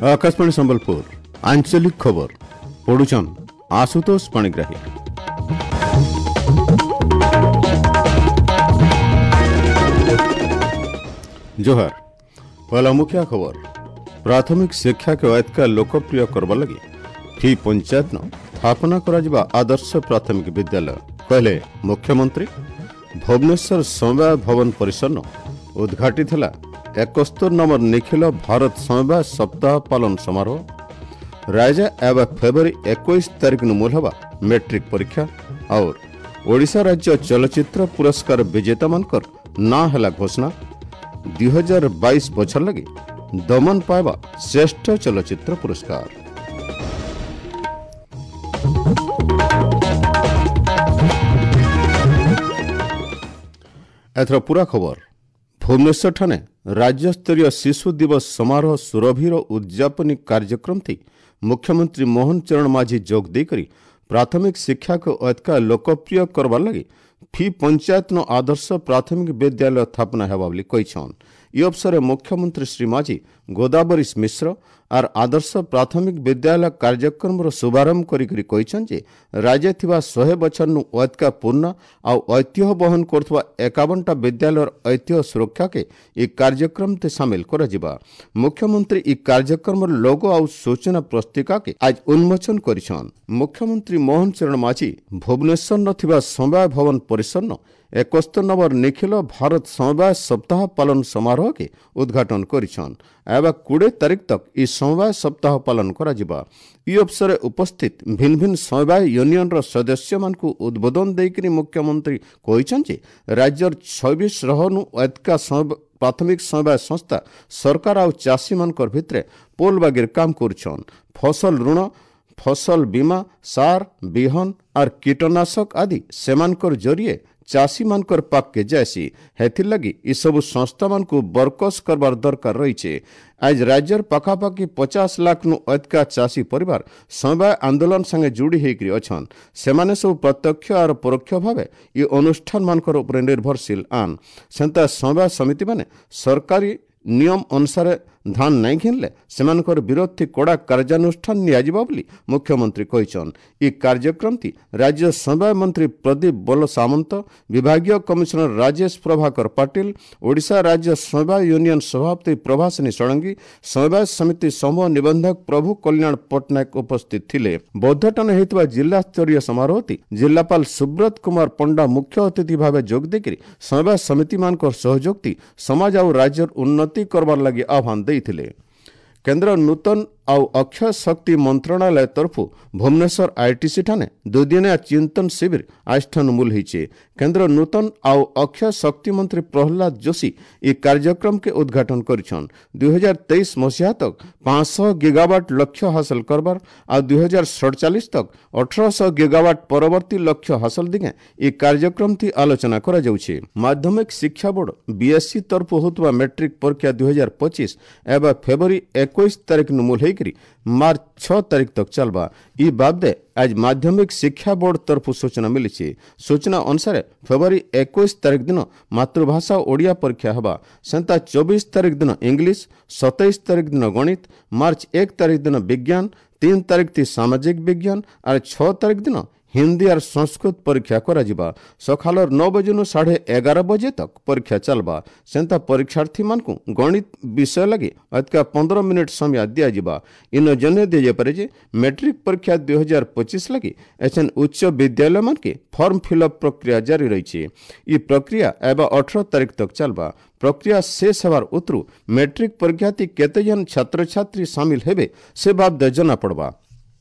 ଆକାଶବାଣୀ ସମ୍ବଲପୁର ଆଞ୍ଚଳିକ ଖବର ପଢୁଛନ୍ ଆଶୁତୋଷ ପାଣିଗ୍ରାହୀ। जोहार। पहला मुख्य खबर, प्राथमिक शिक्षा के ऐतका लोकप्रिय करवा लगी फी पंचायत न स्थापना କରାଯିବା आदर्श प्राथमिक विद्यालय कहले मुख्यमंत्री। भुवनेश्वर समवाय भवन परिसर न उद्घाटित ହେଲା 71 नंबर निखिल भारत समवाय सप्ताह पालन समारोह। राज्य एवं फेब्रुआरी 21 तारीख नु मूल हवा मैट्रिक परीक्षा और ओडिशा राज्य चलचित्र पुरस्कार विजेता मानकर ना ହେଲା घोषणा। 2022 बछर लगी दमन पाइबा श्रेष्ठ चलचित्र पुरस्कार। एथर पूरा खबर। भुवनेश्वर ठाने राज्यस्तरीय शिशु दिवस समारोह सुरभिर उद्यापनी कार्यक्रम थी मुख्यमंत्री मोहन चरण माझी जोग देकर प्राथमिक शिक्षा को अतका लोकप्रिय करवार लगी फी पंचायत नो आदर्श प्राथमिक विद्यालय स्थापना हेबा बोली कहिछन। इ अवसर मुख्यमंत्री श्री माझी गोदावरीश मिश्र are आदर्श प्राथमिक विद्यालय कार्यक्रम रो शुभारंभ करी करी कहिछन जे राज्य थिबा 100 बछर नु अतका पूर्ण आउ ऐतिह्य वहन करथुवा 51टा विद्यालयर ऐतिह्य सुरक्षा के इ कार्यक्रम ते शामिल कराजिबा। मुख्यमंत्री इ कार्यक्रम रो लोगो आउ सूचना पुस्तिका के आज उन्मोचन करिछन। मुख्यमंत्री मोहन चरण माझी भुवनेश्वर न थिबा समवाय भवन परिसर न 71 नंबर निखिल भारत समवाय सप्ताह पालन समारोह के उद्घाटन करिछन। एवं 20 तारीख तक इ समवाय सप्ताह पालन कराजिबा। इ अवसर उपस्थित भिन्न भिन्न समवाय यूनियन र सदस्य मानकु उद्बोधन देइकरी मुख्यमंत्री कहिछन जे राज्यर 26 रहनु एतका प्राथमिक समवाय संस्था सरकार आउ चाषी मानकर भितरे पोल बागिर काम करछन। फसल ऋण, फसल बीमा, सार, बिहन और कीटनाशक आदि सेमानकर जरिए चाषी मानकर पाक के जायसी। हेथिर लगी इ सब संस्था मानकु बरकस करबार दरकार रहिছে। आज राज्यर पाखापाखि 50 लाख नु अतका चाषी परिवार समवाय आंदोलन संगे जुड़ी हेकरी अछन। सेमाने सब प्रत्यक्ष और परोक्ष भावे इ अनुष्ठान मानकर उपरे निर्भरशील आन। सेंता समवाय समिति माने सरकारी नियम अनुसार धान नहीं घिनले सेमानकर विरोध थी कड़ा कार्यानुष्ठान नियाजिबा बोली मुख्यमंत्री कहिछन। इ कार्यक्रम थी राज्य समवाय मंत्री प्रदीप बल सामंत, विभागीय कमिश्नर राजेश प्रभाकर पाटिल, ओडिशा राज्य समवाय यूनियन सभापति प्रभासिनी षडंगी, समवाय समिति समूह निबंधक प्रभु कल्याण पट्टनायक उपस्थित थिले। बौद्धटन हेतुवा जिला स्तरीय समारोह थी जिलापाल सुब्रत कुमार पंडा मुख्य अतिथि भावे जोग देकरी समवाय समिति मानकर सहयोग थी समाज आउ राज्यर उन्नति करबार लगी आह्वान दे ଥିଲେ। केंद्र नूतन आउ अक्षय शक्ति मंत्रणालय तरफ भुवनेश्वर आईटीसी ठाने दुदिनिया चिंतन शिविर आजठानु मूल होइছে। केंद्र नूतन आउ अक्षय शक्ति मंत्री प्रहलाद जोशी इ कार्यक्रम के उद्घाटन करिछन। 2023 मसीहा तक 500 गीगावाट लक्ष्य हासिल करबार आ 2047 तक 1800 गीगावाट परवर्ती लक्ष्य हासिल दिगे इ कार्यक्रम थी आलोचना करा जाउछे। माध्यमिक शिक्षा बोर्ड बीएससी तरफ होतुवा मैट्रिक परीक्षा 2025 एवं फेब्रुआरी 21 तारीख नु मूल होइकरी मार्च 6 तारीख तक चलबा। इ बाबदे आज माध्यमिक शिक्षा बोर्ड तरफ सूचना मिली। सूचना अनुसार फेब्रुआरी 21 तारीख दिन मातृभाषा ओडिया परीक्षा हेबा, सेंता 24 तारीख दिन इंग्लिश, 27 तारीख दिन गणित, मार्च 1 तारीख दिन विज्ञान, 3 तारीख थी सामाजिक विज्ञान और 6 तारीख दिन हिंदी और संस्कृत परीक्षा कराजिबा। सकालर 9 बजे नु 11:30 बजे तक परीक्षा चलबा। सेंता परीक्षार्थी मानकु गणित विषय लगी अतका 15 मिनट समय दियाजिबा। इन जने दिया जाय जे मैट्रिक परीक्षा 2025 लगी एछन उच्च विद्यालय मानके फॉर्म फिलअप प्रक्रिया जारी रहिছে। इ प्रक्रिया एबा 18 तारीख तक चलबा। प्रक्रिया शेष हेबार उतरु मैट्रिक परीक्षा ती केते जन छात्र छात्री शामिल हेबे से बाबद जना पड़बा।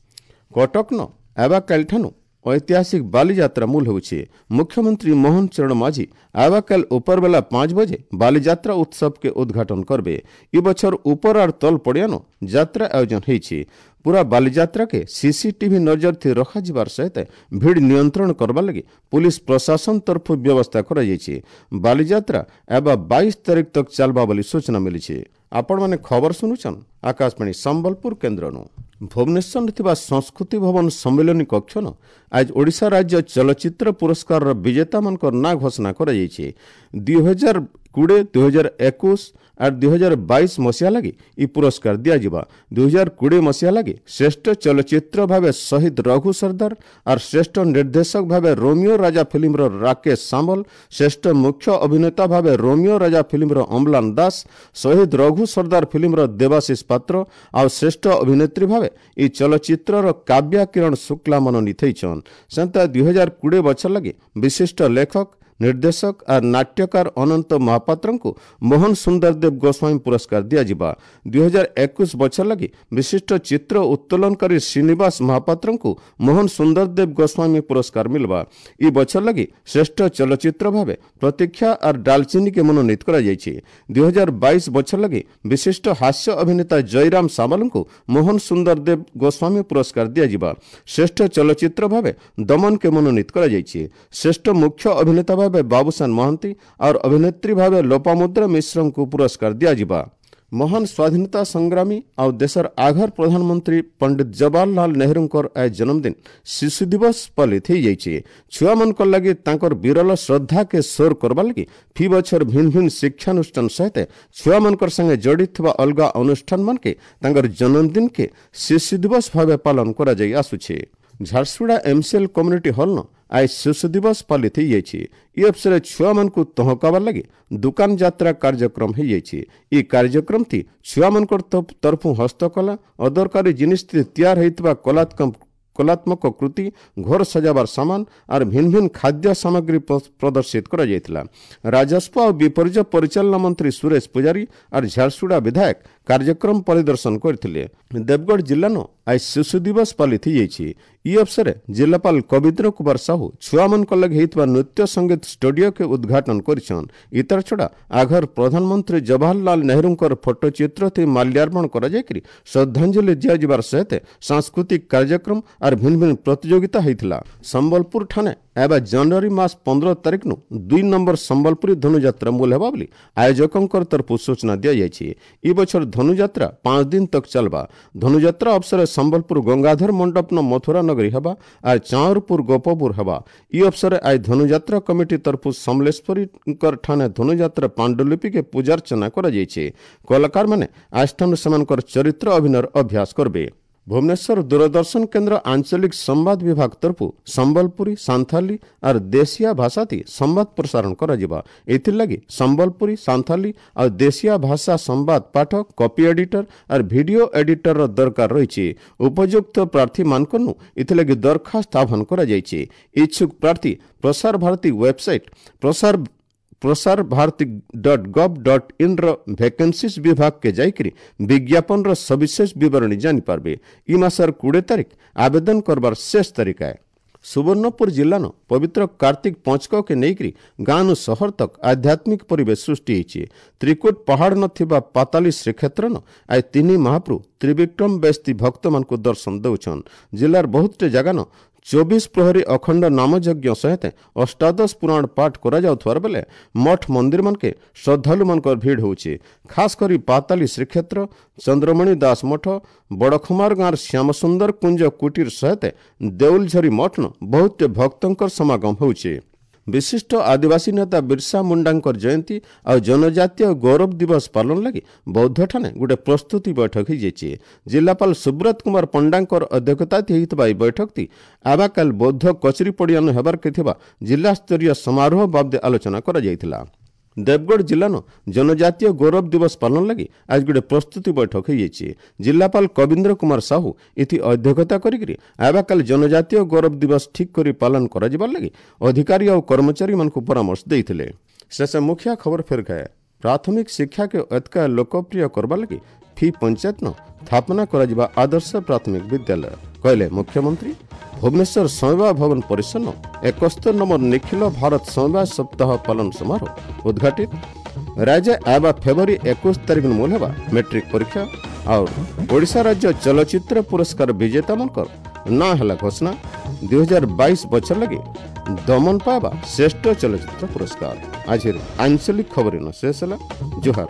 कटक न एबा कालठानु ऐतिहासिक बालीजात्रा मूल होउछे। मुख्यमंत्री मोहन चरण माझी आवाकाल ऊपर बेला 5 बजे बालीजात्रा उत्सव के उद्घाटन करबे। इ बछर ऊपर और तल पड़ियानो जात्रा आयोजन हेइছে। पूरा बालीजात्रा के सीसीटीवी नजर थी रखा जिबार सहित भीड़ नियंत्रण करबा लगी पुलिस प्रशासन तरफ व्यवस्था करा जाइছে। बालीजात्रा एबा 22 तारीख तक चलबा बोली सूचना मिलिছে। आपण माने खबर सुनुछन आकाशवाणी सम्बलपुर केंद्र नु। भुवनेश्वर थिबा संस्कृति भवन सम्मेलनी कक्ष न आज ओडिशा राज्य चलचित्र पुरस्कार विजेता मानकर ना घोषणा करा जाइছে। 2021 2020, 2021 ଆର୍ 2022 ମସିହା ଲାଗି ଇ ପୁରସ୍କାର ଦିଆଯିବା। 2020 ମସିହା ଲାଗି ଶ୍ରେଷ୍ଠ ଚଳଚ୍ଚିତ୍ର ଭାବେ ଶହୀଦ ରଘୁ ସର୍ଦ୍ଦାର ଆର୍ ଶ୍ରେଷ୍ଠ ନିର୍ଦ୍ଦେଶକ ଭାବେ ରୋମିଓ ରାଜା ଫିଲ୍ମର ରାକେଶ ସାମଲ, ଶ୍ରେଷ୍ଠ ମୁଖ୍ୟ ଅଭିନେତା ଭାବେ ରୋମିଓ ରାଜା ଫିଲ୍ମର ଅମ୍ଲାନ ଦାସ, ଶହୀଦ ରଘୁ ସର୍ଦ୍ଦାର ଫିଲ୍ମର ଦେବାଶିଷ ପାତ୍ର ଆଉ ଶ୍ରେଷ୍ଠ ଅଭିନେତ୍ରୀ ଭାବେ ଇ ଚଳଚ୍ଚିତ୍ରର କାବ୍ୟା କିରଣ ଶୁକ୍ଲା ମନୋନୀତ ହେଇଛନ୍। ସେନ୍ତା 2020 ବଛର ଲାଗି ବିଶିଷ୍ଟ ଲେଖକ, ନିର୍ଦ୍ଦେଶକ ଆର୍ ନାଟ୍ୟକାର ଅନନ୍ତ ମହାପାତ୍ରଙ୍କୁ ମୋହନ ସୁନ୍ଦର ଦେବ ଗୋସ୍ୱାମୀ ପୁରସ୍କାର ଦିଆଯିବା। 2021 ବଛର ଲାଗି ବିଶିଷ୍ଟ ଚିତ୍ର ଉତ୍ତୋଳନକାରୀ ଶ୍ରୀନିବାସ ମହାପାତ୍ରଙ୍କୁ ମୋହନ ସୁନ୍ଦର ଦେବ ଗୋସ୍ୱାମୀ ପୁରସ୍କାର ମିଲବା। ଇ ବଛର ଲାଗି ଶ୍ରେଷ୍ଠ ଚଳଚ୍ଚିତ୍ର ଭାବେ ପ୍ରତୀକ୍ଷା ଆର୍ ଡାଲଚିନିକେ ମନୋନୀତ କରାଯାଇଛି। 2022 ବଛର ଲାଗି ବିଶିଷ୍ଟ ହାସ୍ୟ ଅଭିନେତା ଜୟରାମ ସାମଲଙ୍କୁ ମୋହନ ସୁନ୍ଦର ଦେବ ଗୋସ୍ୱାମୀ ପୁରସ୍କାର ଦିଆଯିବା। ଶ୍ରେଷ୍ଠ ଚଳଚ୍ଚିତ୍ର ଭାବେ ଦମନକେ ମନୋନୀତ କରାଯାଇଛି। ଶ୍ରେଷ୍ଠ ମୁଖ୍ୟ ଅଭିନେତା ଭାବେ ବାବୁସାନ ମହାନ୍ତି और ଅଭିନେତ୍ରୀ ଭାବେ ଲୋପାମୁଦ୍ରା ମିଶ୍ରଙ୍କୁ ପୁରସ୍କାର ଦିଆଯିବା। ମହାନ ସ୍ୱାଧୀନତା ସଂଗ୍ରାମୀ ଆଉ ଦେଶର ଆଘର ପ୍ରଧାନମନ୍ତ୍ରୀ ପଣ୍ଡିତ ଜବାହରଲାଲ ନେହେରୁଙ୍କର ଆଜ ଜନ୍ମଦିନ ଶିଶୁ ଦିବସ ପାଳିତ ହେଇଯାଇଛି। ଛୁଆମାନଙ୍କର ଲାଗି ତାଙ୍କର ବିରଳ ଶ୍ରଦ୍ଧାକେ ସୋର କରବା ଲାଗି ଫି ବଛର ଭିନ୍ନ ଭିନ୍ନ ଶିକ୍ଷାନୁଷ୍ଠାନ ସହିତ ଛୁଆମାନଙ୍କର ସାଙ୍ଗେ ଜଡ଼ିତ ଥିବା ଅଲଗା ଅନୁଷ୍ଠାନମାନକେ ତାଙ୍କର ଜନ୍ମଦିନକେ ଶିଶୁ ଦିବସ ଭାବେ ପାଳନ କରାଯାଇ ଆସୁଛି। ଝାରସୁଗୁଡ଼ା ଏମ୍ସିଏଲ୍ କମ୍ୟୁନିଟି ହଲ୍ନ ଆଜ ଶିଶୁ ଦିବସ ପାଳିତ ହେଇଯାଇଛି। ଇ ଅବସରରେ ଛୁଆମାନଙ୍କୁ ତହକାବାର ଲାଗି ଦୁକାନ ଯାତ୍ରା କାର୍ଯ୍ୟକ୍ରମ ହେଇଯାଇଛି। ଇ କାର୍ଯ୍ୟକ୍ରମଟି ଛୁଆମାନଙ୍କର ତରଫୁ ହସ୍ତକଲା, ଅଦରକାରୀ ଜିନିଷ ତିଆର ହେଇଥିବା କଳାତ୍ମକ କୃତି, ଘର ସଜାବାର ସାମାନ ଆର୍ ଭିନ୍ନ ଭିନ୍ନ ଖାଦ୍ୟ ସାମଗ୍ରୀ ପ୍ରଦର୍ଶିତ କରାଯାଇଥିଲା। ରାଜସ୍ୱ ଆଉ ବିପର୍ଯ୍ୟୟ ପରିଚାଳନା ମନ୍ତ୍ରୀ ସୁରେଶ ପୂଜାରୀ ଆର୍ ଝାରସୁଗୁଡ଼ା ବିଧାୟକ କାର୍ଯ୍ୟକ୍ରମ ପରିଦର୍ଶନ କରିଥିଲେ। ଦେବଗଡ଼ ଜିଲ୍ଲାନ ଆଜ ଶିଶୁ ଦିବସ ପାଳିତ ହେଇଯାଇଛି। ଇ ଅବସରରେ ଜିଲ୍ଲାପାଳ କବିନ୍ଦ୍ର କୁମାର ସାହୁ ଛୁଆମାନଙ୍କ ଲାଗି ହେଇଥିବା ନୃତ୍ୟ ସଙ୍ଗୀତ ଷ୍ଟୁଡିଓକେ ଉଦ୍ଘାଟନ କରିଛନ୍। ଇତାର ଛଡ଼ା ଆଘର ପ୍ରଧାନମନ୍ତ୍ରୀ ଜବାହରଲାଲ ନେହେରୁଙ୍କର ଫଟୋଚିତ୍ର ଥି ମାଲ୍ୟାର୍ପଣ କରାଯାଇକରି ଶ୍ରଦ୍ଧାଞ୍ଜଳି ଦିଆଯିବାର ସହିତ ସାଂସ୍କୃତିକ କାର୍ଯ୍ୟକ୍ରମ ଆର୍ ଭିନ୍ନ ଭିନ୍ନ ପ୍ରତିଯୋଗିତା ହେଇଥିଲା। ସମ୍ବଲପୁର ଠାନେ ଏବେ ଜାନୁଆରୀ ମାସ 15 ତାରିଖନୁ 2 ନମ୍ବର ସମ୍ବଲପୁରୀ ଧନୁଯାତ୍ରା ମୂଲ ହେବା ବୋଲି ଆୟୋଜକଙ୍କର ତରଫରୁ ସୂଚନା ଦିଆଯାଇଛି। ଇ ବଛର ଧନୁଯାତ୍ରା 5 ଦିନ ତକ ଚାଲବା। ଧନୁଯାତ୍ରା ଅବସରରେ ସମ୍ବଲପୁର ଗଙ୍ଗାଧର ମଣ୍ଡପନ ମଥୁରା ନଗରୀ ହେବା ଆର୍ ଚାଉଁରପୁର ଗୋପପୁର ହେବା। ଇ ଅବସରରେ ଆଜ ଧନୁଯାତ୍ରା କମିଟି ତରଫରୁ ସମଲେଶ୍ୱରୀଙ୍କର ଠାନେ ଧନୁଯାତ୍ରା ପାଣ୍ଡୁଲିପିକେ ପୂଜାର୍ଚ୍ଚନା କରାଯାଇଛି। କଳାକାରମାନେ ଆଜଠାନୁ ସେମାନଙ୍କର ଚରିତ୍ର ଅଭିନୟର ଅଭ୍ୟାସ କରିବେ। ଭୁବନେଶ୍ୱର ଦୂରଦର୍ଶନ କେନ୍ଦ୍ର ଆଞ୍ଚଳିକ ସମ୍ବାଦ ବିଭାଗ ତରଫୁ ସମ୍ବଲପୁରୀ, ସାନ୍ଥାଲି ଆର୍ ଦେଶିଆ ଭାଷାତି ସମ୍ବାଦ ପ୍ରସାରଣ କରାଯିବା। ଏଥିର୍ଲାଗି ସମ୍ବଲପୁରୀ, ସାନ୍ଥାଲି ଆଉ ଦେଶିଆ ଭାଷା ସମ୍ବାଦ ପାଠକ, କପି ଏଡିଟର ଆର୍ ଭିଡିଓ ଏଡିଟରର ଦରକାର ରହିଛି। ଉପଯୁକ୍ତ ପ୍ରାର୍ଥୀମାନଙ୍କନୁ ଏଥିଲାଗି ଦରଖାସ୍ତ ଆହ୍ୱାନ କରାଯାଇଛି। ଇଚ୍ଛୁକ ପ୍ରାର୍ଥୀ ପ୍ରସାର ଭାରତୀ ୱେବସାଇଟ୍ ପ୍ରସାର ଭାରତୀ .gov.in ର ଭେକେନ୍ସିଜ୍ ବିଭାଗକେ ଯାଇକରି ବିଜ୍ଞାପନର ସବିଶେଷ ବିବରଣୀ ଜାଣିପାରିବେ। ଇ ମାସର 20 ତାରିଖ ଆବେଦନ କରବାର ଶେଷ ତାରିଖ ଆଏ। ସୁବର୍ଣ୍ଣପୁର ଜିଲ୍ଲାନ ପବିତ୍ର କାର୍ତ୍ତିକ ପଞ୍ଚକକେ ନେଇକରି ଗାଁନୁ ସହର ତକ ଆଧ୍ୟାତ୍ମିକ ପରିବେଶ ସୃଷ୍ଟି ହେଇଛି। ତ୍ରିକୁଟ ପାହାଡ଼ ନ ଥିବା ପାତାଲି ଶ୍ରୀକ୍ଷେତ୍ରନ ଆଜ ତିନି ମହାପ୍ରଭୁ ତ୍ରିବିକ୍ରମ ବେସ୍ତି ଭକ୍ତମାନଙ୍କୁ ଦର୍ଶନ ଦେଉଛନ୍। ଜିଲ୍ଲାର ବହୁତଟେ ଜାଗାନ 24 ପ୍ରହରୀ ଅଖଣ୍ଡ ନାମଯଜ୍ଞ ସହିତ ଅଷ୍ଟାଦଶ ପୁରାଣ ପାଠ କରାଯାଉଥିବାର ବେଲେ ମଠ ମନ୍ଦିରମାନକେ ଶ୍ରଦ୍ଧାଳୁମାନଙ୍କର ଭିଡ଼ ହେଉଛି। ଖାସ କରି ପାତାଲି ଶ୍ରୀକ୍ଷେତ୍ର, ଚନ୍ଦ୍ରମଣି ଦାସ ମଠ, ବଡ଼ଖମାର ଗାଁର ଶ୍ୟାମସୁନ୍ଦର କୁଞ୍ଜ କୁଟୀର ସହିତ ଦେଉଲଝରି ମଠନ ବହୁତ ଭକ୍ତଙ୍କର ସମାଗମ ହେଉଛି। ବିଶିଷ୍ଟ ଆଦିବାସୀ ନେତା ବିର୍ସା ମୁଣ୍ଡାଙ୍କର ଜୟନ୍ତୀ ଆଉ ଜନଜାତୀୟ ଗୌରବ ଦିବସ ପାଳନ ଲାଗି ବୌଦ୍ଧଠାନେ ଗୋଟେ ପ୍ରସ୍ତୁତି ବୈଠକ ହେଇଯାଇଛି। ଜିଲ୍ଲାପାଳ ସୁବ୍ରତ କୁମାର ପଣ୍ଡାଙ୍କର ଅଧ୍ୟକ୍ଷତା ହେଇଥିବା ଏହି ବୈଠକଟି ଆବାକାଲ ବୌଦ୍ଧ କଚେରୀ ପଡ଼ିଆନ ହେବାରକେ ଥିବା ଜିଲ୍ଲାସ୍ତରୀୟ ସମାରୋହ ବାବଦେ ଆଲୋଚନା କରାଯାଇଥିଲା। ଦେବଗଡ଼ ଜିଲ୍ଲାନ ଜନଜାତୀୟ ଗୌରବ ଦିବସ ପାଳନ ଲାଗି ଆଜ ଗୋଟେ ପ୍ରସ୍ତୁତି ବୈଠକ ହେଇଯାଇଛି। ଜିଲ୍ଲାପାଳ କବୀନ୍ଦ୍ର କୁମାର ସାହୁ ଏଥି ଅଧ୍ୟକ୍ଷତା କରିକିରି ଆବାକାଲ ଜନଜାତୀୟ ଗୌରବ ଦିବସ ଠିକ୍ କରି ପାଳନ କରାଯିବାର ଲାଗି ଅଧିକାରୀ ଆଉ କର୍ମଚାରୀମାନଙ୍କୁ ପରାମର୍ଶ ଦେଇଥିଲେ। ଶେଷ ମୁଖିଆ ଖବର ଫେର ଖାଏ। ପ୍ରାଥମିକ ଶିକ୍ଷାକେ ଏତକା ଲୋକପ୍ରିୟ କରବା ଲାଗି ଫି ପଞ୍ଚାୟତନ ସ୍ଥାପନା କରାଯିବା ଆଦର୍ଶ ପ୍ରାଥମିକ ବିଦ୍ୟାଳୟ କହିଲେ ମୁଖ୍ୟମନ୍ତ୍ରୀ। ଭୁବନେଶ୍ୱର ସମବାୟ ଭବନ ପରିସର 71 ନମ୍ବର ନିଖିଲ ଭାରତ ସମବାୟ ସପ୍ତାହ ପାଳନ ସମାରୋହ ଉଦ୍ଘାଟିତ। ରାଜ୍ୟ ଆବା ଫେବୃଆରୀ 21 ତାରିଖ ମୂଲ ହେବା ମେଟ୍ରିକ ପରୀକ୍ଷା। ଆଉ ଓଡ଼ିଶା ରାଜ୍ୟ ଚଳଚ୍ଚିତ୍ର ପୁରସ୍କାର ବିଜେତାମାନଙ୍କର ନାଁ ହେଲା ଘୋଷଣା। 2022 ବଛର ଲାଗି ଦମନ ପାଇବା ଶ୍ରେଷ୍ଠ ଚଳଚ୍ଚିତ୍ର ପୁରସ୍କାର। ଆଜିର ଆଞ୍ଚଳିକ ଖବର ଶେଷ ହେଲା। ଜୁହାର।